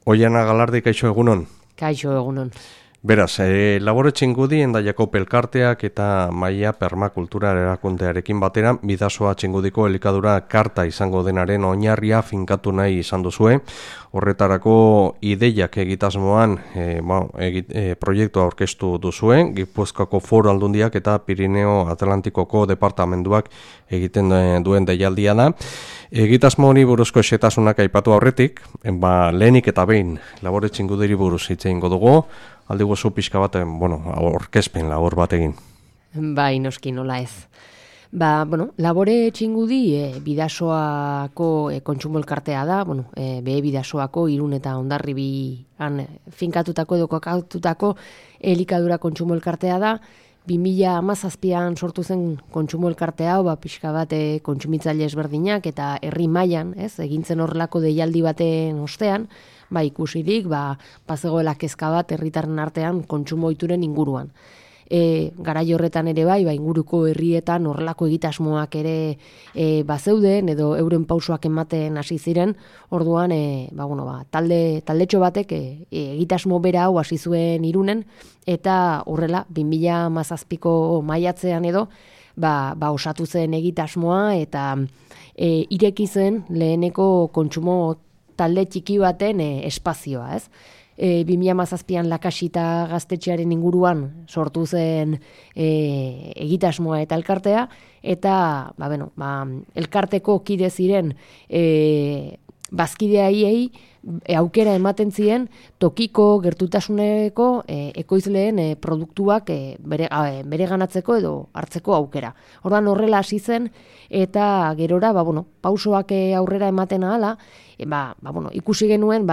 Oiana Galardi, kaixo egunon. Kaixo egunon. Beraz, Labore Txingudi, Endaiako Pelkarteak eta Maia Permakultura erakundearekin batera, Bidasoa Txingudiko elikadura karta izango denaren oinarria finkatu nahi izan duzue. Horretarako ideiak egitasmoan proiektua aurkeztu duzue, Gipuzkoako Foru Aldundiak eta Pirineo Atlantikoko departamentuak egiten duen deialdia da. Egitasmo hori buruzko xetasunak aipatu aurretik, lehenik eta behin Labore Txingudiri buruz hitz egingo dugu. Aldi gozu pixka bat, aurkezpen labor bat egin. Bai, noski nola ez. Labore Txingudi Bidasoako kontsumo elkartea da, behe Bidasoako Irun eta Hondarribian finkatutako edo kokatutako elikadura kontsumo elkartea da. 2017an sortu zen kontsumo elkartea, pixka bat kontsumitzaile ezberdinak eta herri mailan, egintzen horrelako deialdi baten ostean, ikusirik, bazegoela kezka bat herritarren artean kontsumo ohituren inguruan. Garai horretan ere inguruko herrietan horrelako egitasmoak ere bazeuden edo euren pausoak ematen hasi ziren. Orduan, taldetxo batek egitasmo bera hau hasi zuen Irunen eta horrela 2017ko maiatzean edo osatu zen egitasmoa eta ireki zen leheneko kontsumo talde txiki baten espazioa, ez? 2017an Lakasita gaztetxearen inguruan sortu zen egitasmoa eta elkartea, eta elkarteko kide ziren bazkideaiei aukera ematen zien tokiko gertutasuneko ekoizleen produktuak bereganatzeko edo hartzeko aukera. Orduan horrela hasi zen eta gerora pausoak aurrera ematen ahala, ikusi genuen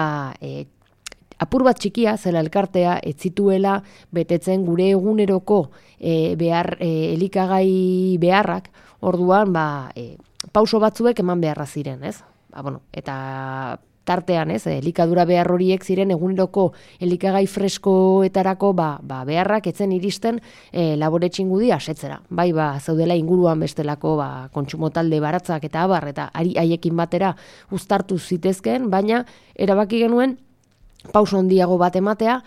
apur bat txikia zela elkartea ez zituela betetzen gure eguneroko elikagai beharrak. Orduan pauso batzuek eman beharra ziren, ez? Eta tartean, elikadura behar horiek ziren eguneroko elikagai freskoetarako beharrak etzen iristen Labore Txingudi asetzera. Zeudela inguruan bestelako kontsumo talde baratzak eta abar, eta haiekin batera uztartu zitezkeen, baina erabaki genuen pauso handiago bat ematea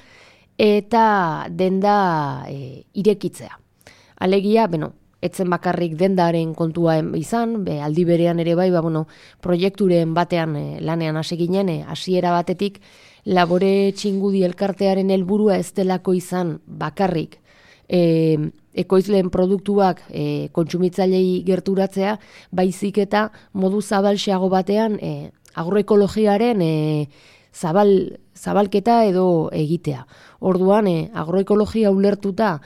eta denda irekitzea. Alegia, etzen bakarrik dendaren kontua izan, aldi berean ere proiekturen batean lanean hasi ginen, hasiera batetik Labore Txingudi elkartearen helburua ez delako izan bakarrik ekoizleen produktuak kontsumitzailei gerturatzea, baizik eta modu zabalxeago batean agroekologiaren zabalketa edo egitea. Orduan, agroekologia ulertuta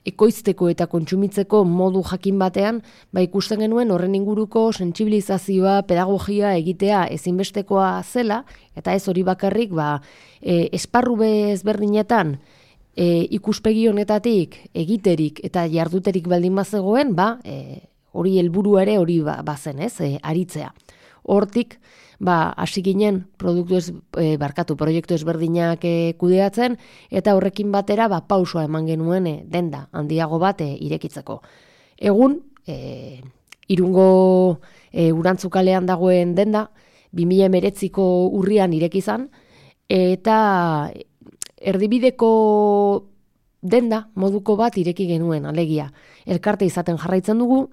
ekoizteko eta kontsumitzeko modu jakin batean, ikusten genuen horren inguruko sentsibilizazioa, pedagogia egitea ezinbestekoa zela, eta ez hori bakarrik, esparru ezberdinetan ikuspegi honetatik egiterik eta jarduterik baldin bazegoen, hori helburu ere hori bazen, aritzea. Hortik, hasi ginen proiektu ezberdinak kudeatzen, eta horrekin batera pausoa eman genuen denda handiago bat irekitzeko. Egun, Irungo Urantzukalean dagoen denda, 2019ko urrian ireki izan, eta erdibideko denda moduko bat ireki genuen, alegia. Elkarte izaten jarraitzen dugu,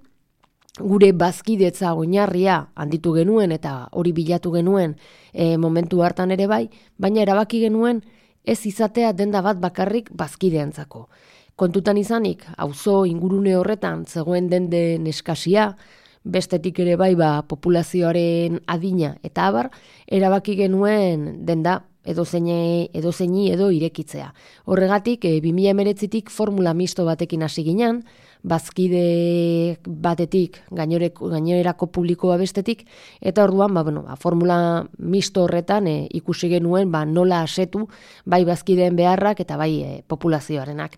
gure bazkidetza oinarria handitu genuen eta hori bilatu genuen momentu hartan ere baina erabaki genuen ez izatea denda bat bakarrik bazkideentzako. Kontutan izanik, auzo ingurune horretan zegoen denden eskasia, bestetik ere populazioaren adina eta abar, erabaki genuen denda edozeini edo irekitzea. Horregatik, 2019tik formula misto batekin hasi ginen, bazkide batetik, gainerako publikoa bestetik, eta orduan, formula misto horretan ikusi genuen nola asetu, bazkideen beharrak eta populazioarenak.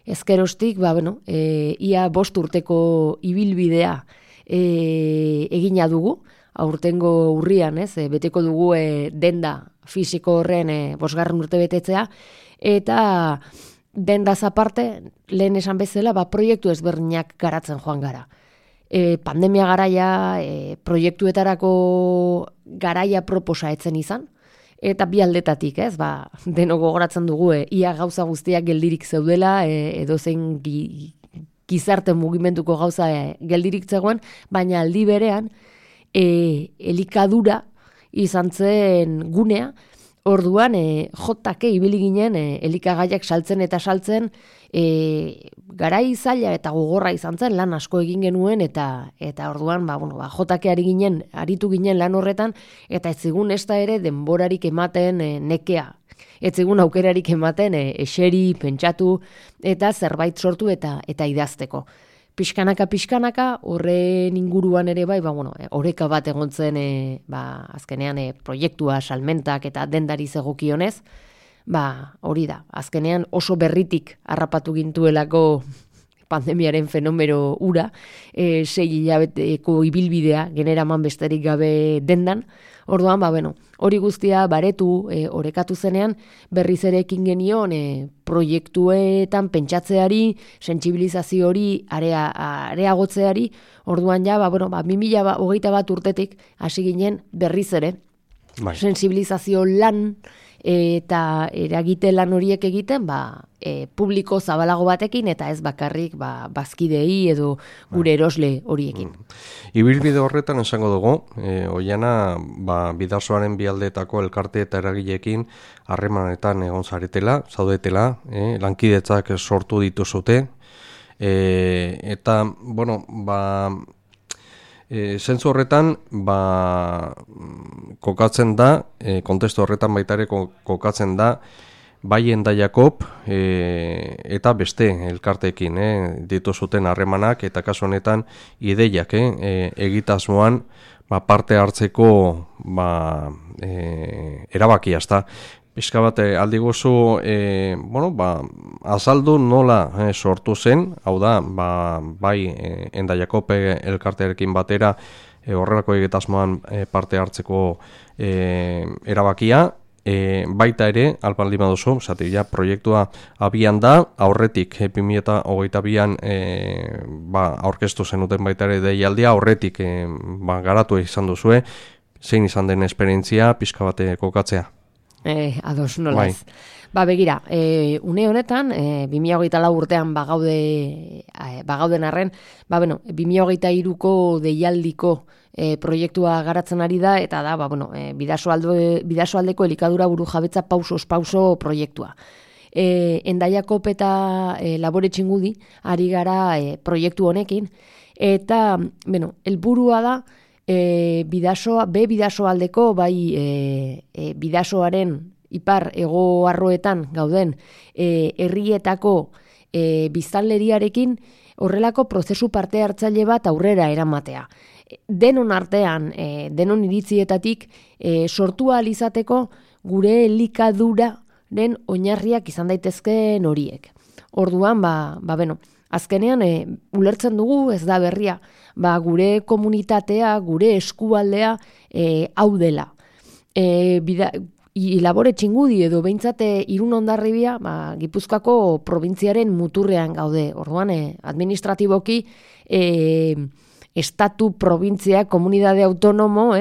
Ezkerostik, ia 5 urteko ibilbidea egina dugu, aurtengo urrian, beteko dugu denda fisiko horren 5. urte betetzea, eta dendaz aparte, lehen esan bezala, proiektu ezberdinak garatzen joan gara. Pandemia garaia, proiektuetarako garaia proposa etzen izan, eta bi aldetatik, ez, deno gogoratzen dugu, ia gauza guztiak geldirik zeudela, edozein gizarte mugimenduko gauza geldirik zegoen, baina aldi berean, elikadura izan zen gunea, orduan jotake ibili ginen elikagaiak saltzen eta saltzen, garai zaila eta gogorra izan zen, lan asko egin genuen, eta orduan jotake aritu ginen lan horretan, eta ez zigun ez da ere denborarik ematen nekea. Ez zigun aukerarik ematen eseri, pentsatu, eta zerbait sortu eta idazteko. Pixkanaka, horren inguruan ere bai, oreka bat egon zen, azkenean proiektua, salmentak eta dendari zegokionez, hori da, azkenean oso berritik harrapatu gintuelako pandemiaren fenomeno ura, 6 hilabeteko ibilbidea generaman besterik gabe dendan, orduan, hori guztia baretu, orekatu zenean, berriz ere ekin genion proiektuetan pentsatzeari, sentsibilizazio hori areagotzeari, orduan 2021 urtetik hasi ginen berriz ere, sentsibilizazio lan eta eragite lan horiek egiten, publiko zabalago batekin eta ez bakarrik bazkidei edo gure erosle horiekin. Ibilbide horretan esango dugu, Oiana, Bidasoaren bialdeetako elkarte eta eragileekin harremanetan egon zaudetela, lankidetzak sortu dituzute, eta, zentzu horretan, kokatzen da, kontestu horretan baita ere kokatzen da, bai Endaiakop eta beste elkarteekin dituzuten harremanak, eta kasu honetan ideiak egitasmoan parte hartzeko erabakia, ezta. Pixka bat aldiguzu, azaldu nola sortu zen, hau da, bai Endaiakop elkartearekin batera horrelako egitasmoan parte hartzeko erabakia, baita ere, albaldi baduzu, proiektua abian da, aurretik 2022an aurkeztu zenuten baita ere deialdia, aurretik garatu izan duzue, zein izan den esperientzia, pixka bat kokatzea. Ados, nola ez. Begira, une honetan, 2024 urtean bagauden arren, 2023ko deialdiko proiektua garatzen ari da, eta da, Bidasoaldeko elikadura burujabetza pauso proiektua. Endaiakop eta Labore Txingudi ari gara proiektu honekin, eta, helburua da, Bidasoaldeko, Bidasoaren ipar hego arroetan gauden herrietako biztanleriarekin horrelako prozesu parte hartzaile bat aurrera eramatea. Denon artean, denon iritzietatik sortu ahal izateko gure elikaduraren oinarriak izan daitezkeen horiek. Orduan, azkenean ulertzen dugu, ez da berria, gure komunitatea, gure eskualdea hau dela. Labore Txingudi edo behintzate Irun Hondarribia, Gipuzkoako probintziaren muturrean gaude. Orduan, administratiboki estatu, probintzia, komunidade autonomo,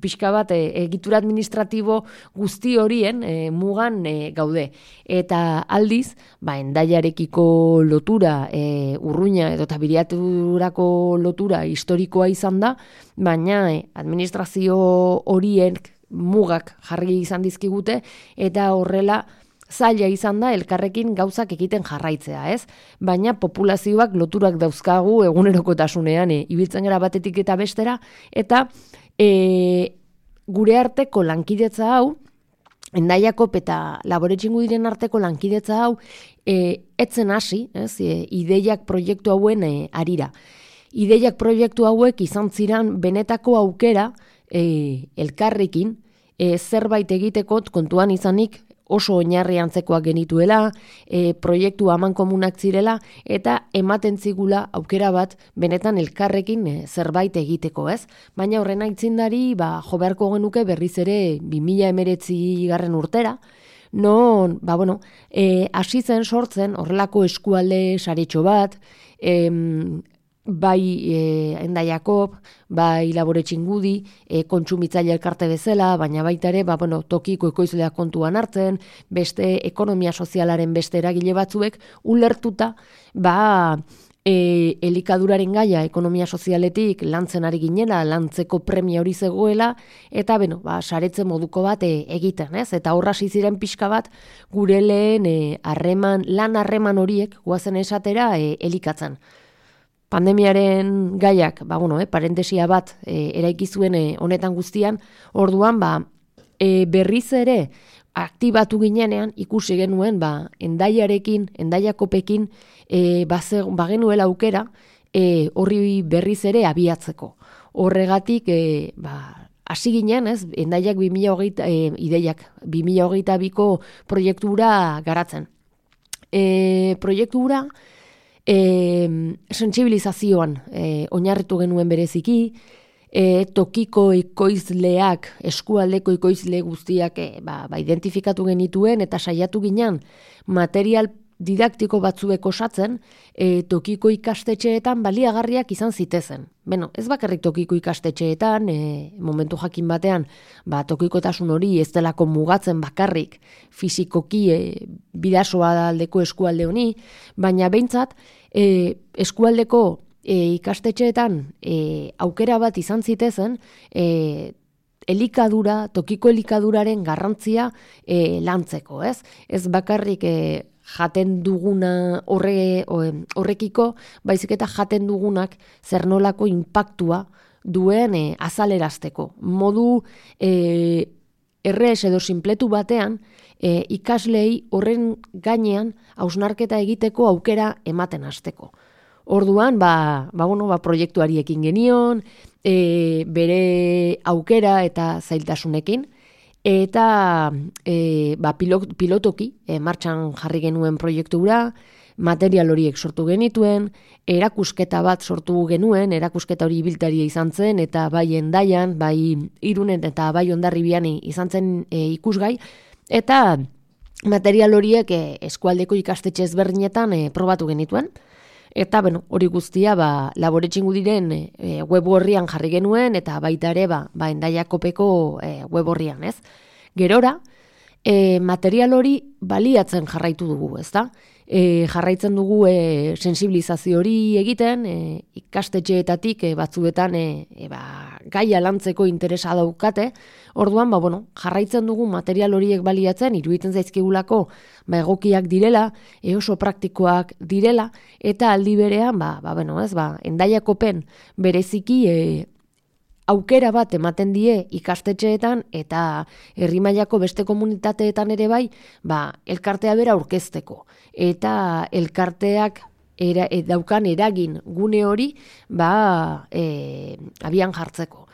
pixka bat egitura administratibo guzti horien mugan gaude. Eta aldiz, Endaiarekiko lotura, urruina edo tabiriaturako lotura historikoa izan da, baina administrazio horien mugak jarri izan dizkigute, eta horrela zaila izan da elkarrekin gauzak egiten jarraitzea, ez? Baina populazioak loturak dauzkagu egunerokotasunean ibiltzen gara batetik eta bestera, eta gure arteko lankidetza hau, Endaiakop eta Labore Txingudiren arteko lankidetza hau, etzen hasi, ideiak proiektu hauen arira. Ideiak proiektu hauek izan ziren benetako aukera elkarrekin zerbait egiteko kontuan izanik oso oinarri antzekoak genituela, proiektu amankomunak zirela, eta ematen zigula aukera bat benetan elkarrekin zerbait egiteko, ez? Baina horren aitzindari, jo beharko genuke berriz ere 2019 urtera, non, hasi zen sortzen horrelako eskualde saretxo bat, bai Enda Jakob, bai Labore Txingudi, kontsumitzaile elkarte bezala, baina baita ere, tokiko ekoizleak kontuan hartzen, beste ekonomia sozialaren beste eragile batzuek, ulertuta, elikaduraren gaia ekonomia sozialetik lantzen ari ginela, lantzeko premia hori zegoela, eta saretze moduko bat egiten, ez? Eta horra ziren pixka bat, gure lehen lan harreman horiek, guazen esatera, elikatzen. Pandemiaren gaiak, parentesia bat eraiki zuen honetan guztian, orduan berriz ere aktibatu ginenean ikusi genuen Endaiarekin, Endaiakopekin bagenuela aukera horri berriz ere abiatzeko. Horregatik hasi ginen, ez, Endaiak 2022ko proiektura garatzen. Proiektura sentsibilizazioan oinarritu genuen bereziki, tokiko ekoizleak, eskualdeko ekoizle guztiak identifikatu genituen eta saiatu ginen material didaktiko batzuek osatzen tokiko ikastetxeetan baliagarriak izan zitezen. Ez bakarrik tokiko ikastetxeetan, momentu jakin batean, tokikotasun hori ez delako mugatzen bakarrik fisikoki bidasoa aldeko eskualde honi, baina behintzat eskualdeko ikastetxeetan aukera bat izan zitezen tokiko elikaduraren garrantzia lantzeko, ez? Ez bakarrik jaten duguna horrekiko, baizik eta jaten dugunak zer nolako inpaktua duen azalerazteko. Modu errez edo sinpletu batean, ikaslei horren gainean hausnarketa egiteko aukera ematen hasteko. Orduan, proiektuari ekin genion, bere aukera eta zailtasunekin, eta pilotoki martxan jarri genuen proiektura, material horiek sortu genituen, erakusketa bat sortu genuen, erakusketa hori ibiltaria izan zen, eta bai Endaian, bai Irunen eta bai Hondarribian izan zen ikusgai, eta material horiek eskualdeko ikastetxe ezberdinetan probatu genituen. Eta, hori guztia, Labore Txingudiren web horrian jarri genuen, eta baita ere, Endaiakopeko web horrian, ez? Gerora, material hori baliatzen jarraitu dugu, ez da? Jarraitzen dugu sensibilizazio hori egiten, ikastetxeetatik batzuetan gaia lantzeko interesa daukate, orduan, jarraitzen dugu material horiek baliatzen, iruditzen zaizkigulako egokiak direla, oso praktikoak direla, eta aldi berean, Endaiakopen bereziki aukera bat ematen die ikastetxeetan eta herri mailako beste komunitateetan ere bai, elkartea bera aurkezteko. Eta elkarteak daukan eragin gune hori, abian jartzeko.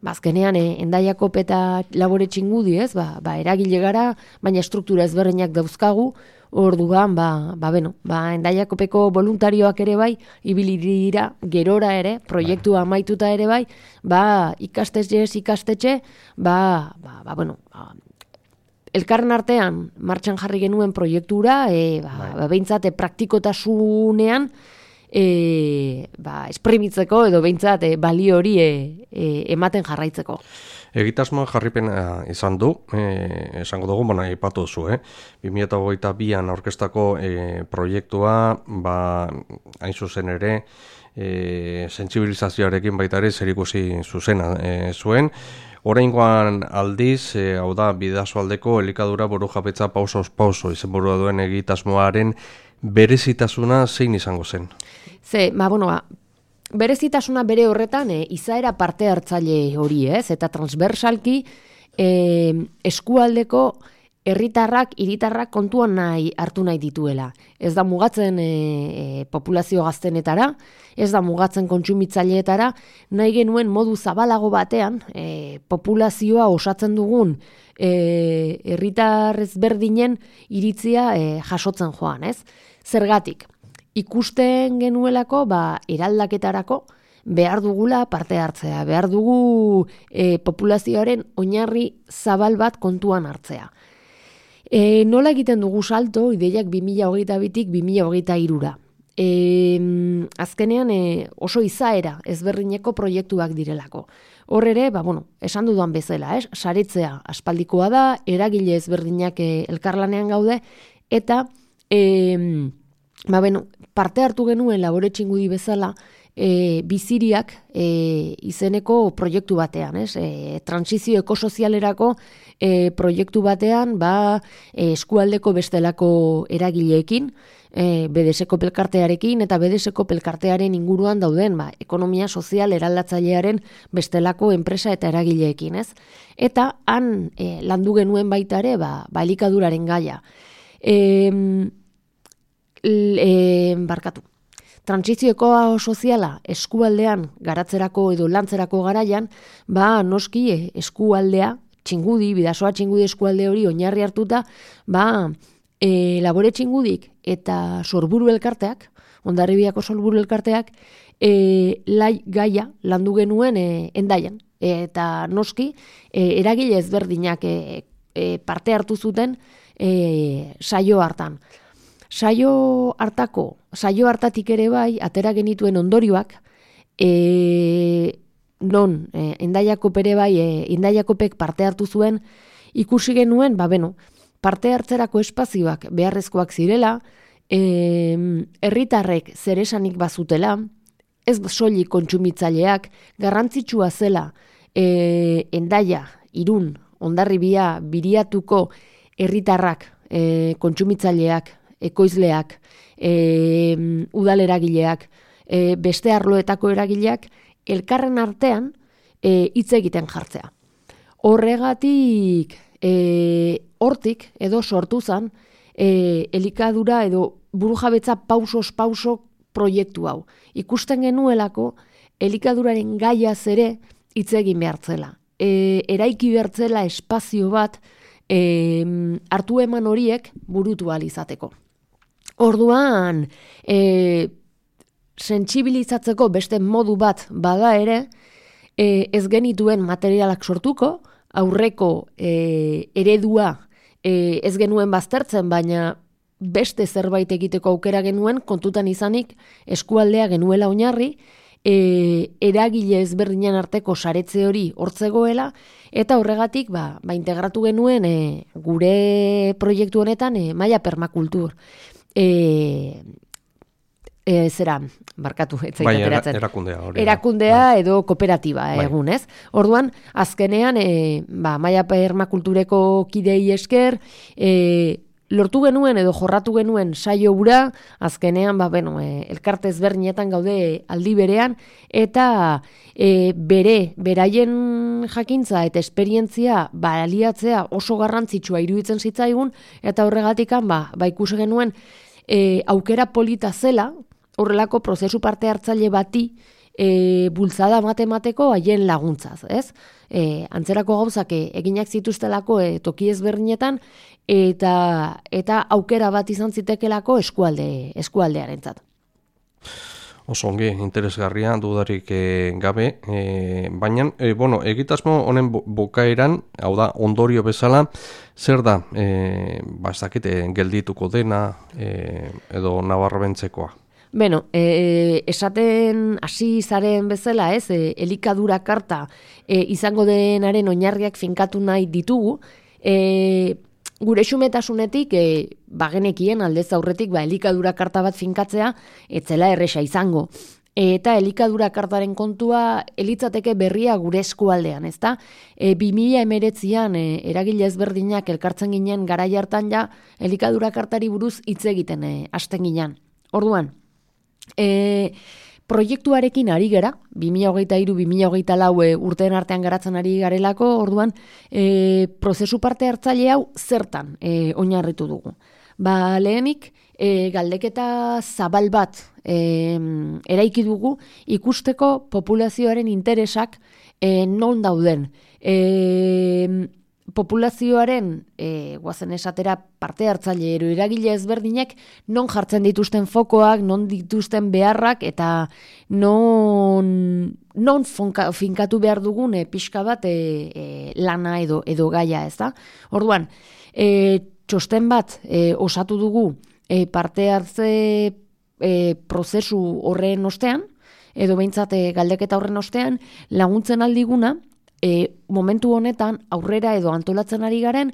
Azkenean, Endaiakop eta Labore Txingudi, ez, eragile gara, baina struktura ezberdinak dauzkagu, orduan, Endaiakopeko voluntarioak ere bai, ibili dira gerora ere, proiektua amaituta ere bai, ikastetxe, elkarren artean martxan jarri genuen proiektura, behintzat praktikotasunean, esprimitzeko edo behintzat balio hori ematen jarraitzeko. Egitasmoa jarripena izan du, esango dugu, aipatu duzu, 2022an aurkeztako proiektua, hain zuzen ere, sentsibilizazioarekin baita ere zerikusi zuzena zuen. Oraingoan aldiz, hau da, Bidasoaldeko elikadura burujabetza pausoz pauso izenburua duen egitasmoaren berezitasuna zein izango zen? Berezitasuna bere horretan izaera parte hartzaile hori, ez? Eta transversalki eskualdeko herritarrak, hiritarrak kontuan hartu nahi dituela. Ez da mugatzen populazio gaztenetara, ez da mugatzen kontsumitzaileetara, nahi genuen modu zabalago batean populazioa osatzen dugun herritar ezberdinen iritzia jasotzen joan, ez? Zergatik, ikusten genuelako eraldaketarako behar dugula parte hartzea, behar dugu populazioaren oinarri zabal bat kontuan hartzea. Nola egiten dugu salto ideiak 2022tik 2023ra? azkenean oso izaera ezberdineko proiektuak direlako. Hor ere, esan dudan bezala, saretzea aspaldikoa da, eragile ezberdinak elkarlanean gaude, eta parte hartu genuen Labore Txingudi bezala, biziriak izeneko proiektu batean, transizio ekosozialerako proiektu batean, eskualdeko bestelako eragileekin, BDSko pelkartearekin eta BDSko pelkartearen inguruan dauden, ekonomia sozial eraldatzailearen bestelako enpresa eta eragileekin, ez? Eta han landu genuen baita ere, elikaduraren gaia. Trantsizio soziala eskualdean garatzerako edo lantzerako garaian, noski eskualdea, Txingudi, Bidasoa Txingudi eskualde hori oinarri hartuta, Labore Txingudik eta Sorburu elkarteak, Hondarribiako Sorburu elkarteak, gaia landu genuen Hendaian. Eta noski, eragile ezberdinak parte hartu zuten saio hartan. Saio hartatik ere atera genituen ondorioak, non Hendaiakop ere Hendaiakopek parte hartu zuen, ikusi genuen, parte hartzerako espazioak beharrezkoak zirela, herritarrek zeresanik bazutela, ez soilik kontsumitzaileak, garrantzitsua zela Hendaia, Irun, Hondarribia, Biriatuko herritarrak, kontsumitzaileak, ekoizleak, udaleragileak, beste arloetako eragileak, elkarren artean hitz egiten jartzea. Horregatik, hortik edo sortu zen elikadura edo burujabetza pausos pauso proiektu hau. Ikusten genuelako elikaduraren gaiaz ere hitz egin behartzela. Eraiki behartzela espazio bat hartu eman horiek burutu ahal izateko. Orduan, sentsibilizatzeko beste modu bat bada ere, ez genituen materialak sortuko, aurreko eredua ez genuen baztertzen, baina beste zerbait egiteko aukera genuen, kontutan izanik eskualdea genuela oinarri, eragile ezberdinen arteko saretze hori hortzegoela, eta horregatik integratu genuen gure proiektu honetan Maia Permakultur. Erakundea edo kooperatiba egun, ez? Orduan, azkenean, Maia Permakultureko kidei esker, lortu genuen edo jorratu genuen saio hura, azkenean, elkarte ezberdinetan gaude aldi berean, eta beraien jakintza eta esperientzia baliatzea oso garrantzitsua iruditzen zitzaigun, eta horregatikan, ikusi genuen aukera polita zela, horrelako prozesu parte hartzaile bati bultzada matemateko haien laguntzaz, ez? Antzerako gauzak eginak zituztelako toki ezberdinetan eta aukera bat izan zitekelako eskualdearentzat. Oso ongi, interesgarria, dudarik gabe, baina, egitasmo honen bukaeran, hau da, ondorio bezala, zer da, ez dakit, geldituko dena, edo nabarrabentzekoa? Esaten hasi zaren bezala, ez, elikadura karta izango denaren oinarriak finkatu nahi ditugu, gure xumetasunetik, bagenekien aldez aurretik, elikadura karta bat finkatzea, etzela erresa izango. Eta elikadura kartaren kontua elitzateke berria gure eskualdean, ezta? 2019an eragile ezberdinak elkartzen ginen garai hartan ja, elikadura kartari buruz hitz egiten hasten ginen. Orduan, proiektuarekin ari gera, 2023-2024 urteen artean garatzen ari garelako, orduan, prozesu parte hartzaile hau zertan oinarritu dugu. Lehenik, galdeketa zabal bat eraiki dugu ikusteko populazioaren interesak non dauden. Populazioaren, guazen esatera, parte hartzaile eragile ezberdinek non jartzen dituzten fokoak, non dituzten beharrak, eta non finkatu behar dugun pixka bat lana edo gaia, ez da? Orduan, txosten bat osatu dugu parte hartze prozesu horren ostean, edo behintzat galdeketa horren ostean, laguntzen aldiguna, momentu honetan aurrera edo antolatzen ari garen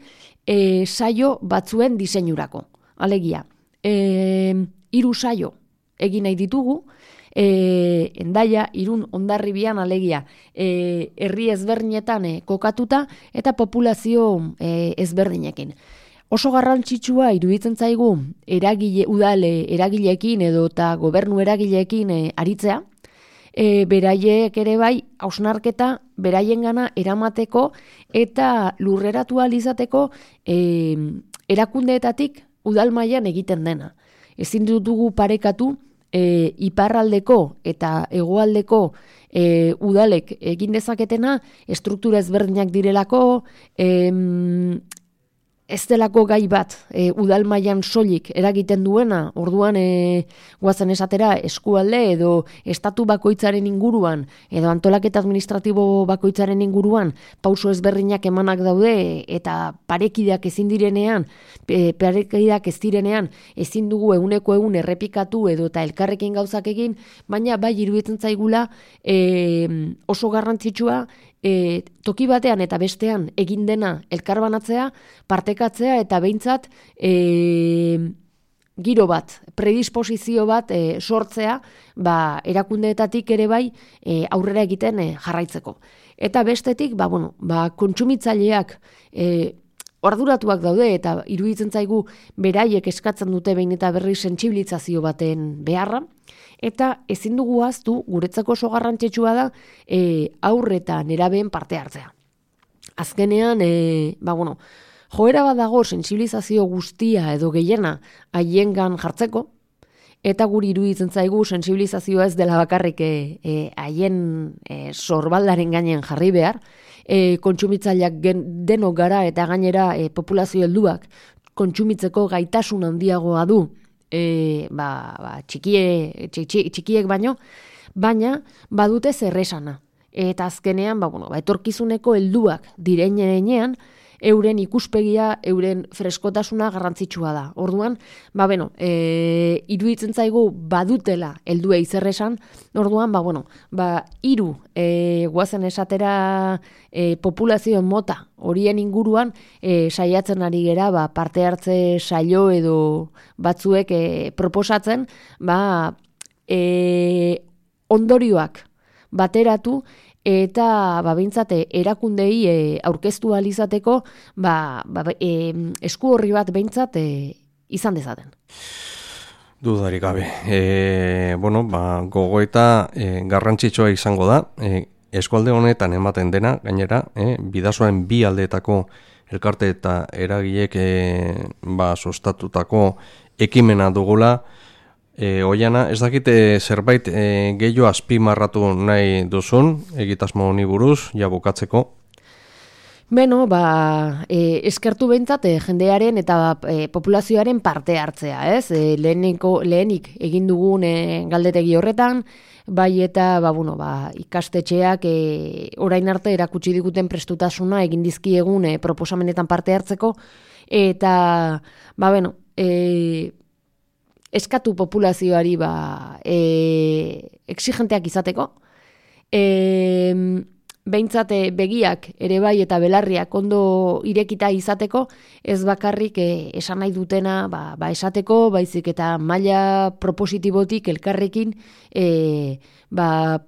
saio batzuen diseinurako. Alegia, 3 saio egin nahi ditugu, Hendaia, Irun, Hondarribian alegia herri ezberdinetan kokatuta eta populazio ezberdinekin. Oso garrantzitsua iruditzen zaigu eragileekin edo eta gobernu eragileekin aritzea, beraiek ere bai hausnarketa beraiengana eramateko eta lurreratu ahal izateko erakundeetatik udal mailan egiten dena. Ezin dugu parekatu iparraldeko eta hegoaldeko udalek egin dezaketena estruktura ezberdinak direlako, ez delako gai bat udal mailan soilik eragiten duena, orduan guazen esatera eskualde edo estatu bakoitzaren inguruan edo antolaketa administratibo bakoitzaren inguruan pauso ezberdinak emanak daude eta parekideak ezin direnean, ezin dugu eguneko egun errepikatu edo eta elkarrekin gauzak egin, baina bai iruditzen zaigula oso garrantzitsua toki batean eta bestean egin dena elkarbanatzea, partekatzea eta behintzat giro bat, predisposizio bat sortzea, erakundeetatik ere bai aurrera egiten jarraitzeko. Eta bestetik, kontsumitzaileak arduratuak daude eta iruditzen zaigu beraiek eskatzen dute behin eta berri sentsibilizazio baten beharra, eta ezin dugu ahaztu guretzako oso garrantzitsua da haur eta nerabeen parte hartzea. Azkenean, joera bat dago sentsibilizazio guztia edo gehiena haiengan jartzeko, eta guri iruditzen zaigu sentsibilizazioa ez dela bakarrik haien sorbaldaren gainen jarri behar, kontsumitzaileak denok gara eta gainera populazio helduak kontsumitzeko gaitasun handiagoa du txikiek baino, baina badute zerresana. Eta azkenean, etorkizuneko helduak direnean, euren ikuspegia, euren freskotasuna garrantzitsua da. Orduan, iruditzen zaigu badutela helduei zerresan, orduan, hiru guazen esatera populazio mota horien inguruan saiatzen ari gera parte hartze saio edo batzuek proposatzen ondorioak bateratu eta behintzat erakundei aurkeztu ahal izateko esku horri bat behintzat izan dezaten. Dudarik gabe. Gogoeta garrantzitsua izango da. Eskualde honetan ematen dena, gainera, bidasoaren bi aldeetako elkarte eta eragilek sustatutako ekimena dugula. Oiana, ez dakite zerbait gehiago azpimarratu nahi duzun, egitasmo honi buruz, bukatzeko? Eskertu behintzat jendearen eta populazioaren parte hartzea, ez? Lehenik egin dugun galdetegi horretan, bai eta ikastetxeak orain arte erakutsi diguten prestutasuna egin dizkiegun proposamenetan parte hartzeko, eta eskatu populazioari exigenteak izateko, behintzat begiak ere bai eta belarriak ondo irekita izateko, ez bakarrik esan nahi dutena esateko, baizik eta maila propositibotik elkarrekin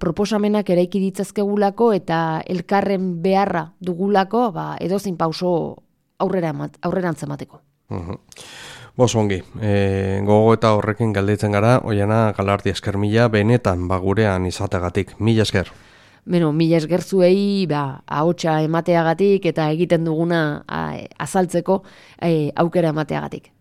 proposamenak eraiki ditzazkegulako eta elkarren beharra dugulako edozein pauso aurrerantz emateko. Ongi, gogo eta horrekin galdetzen gara, Oiana Galardi esker mila, benetan gurean izateagatik, mila esker. Mila esker zuei ahotsa emateagatik eta egiten duguna azaltzeko aukera emateagatik.